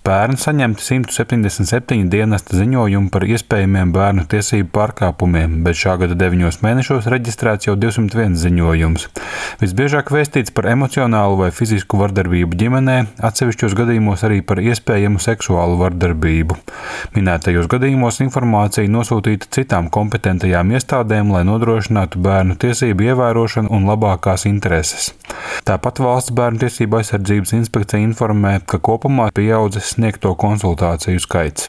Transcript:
Pērn saņemti 177 dienesta ziņojumi par iespējamiem bērnu tiesību pārkāpumiem, bet šā gada 9 mēnešos reģistrēts jau 201 ziņojums. Visbiežāk vēstīts par emocionālu vai fizisku vardarbību ģimenē, atsevišķos gadījumos arī par iespējamu seksuālu vardarbību. Minētajos gadījumos informācija nosūtīta citām kompetentajām iestādēm, lai nodrošinātu bērnu tiesību ievērošanu un labākās intereses. Tāpat Valsts bērnu tiesību aizsardzības inspekcija informē, ka kopumā pieaudzis sniegto konsultāciju skaits.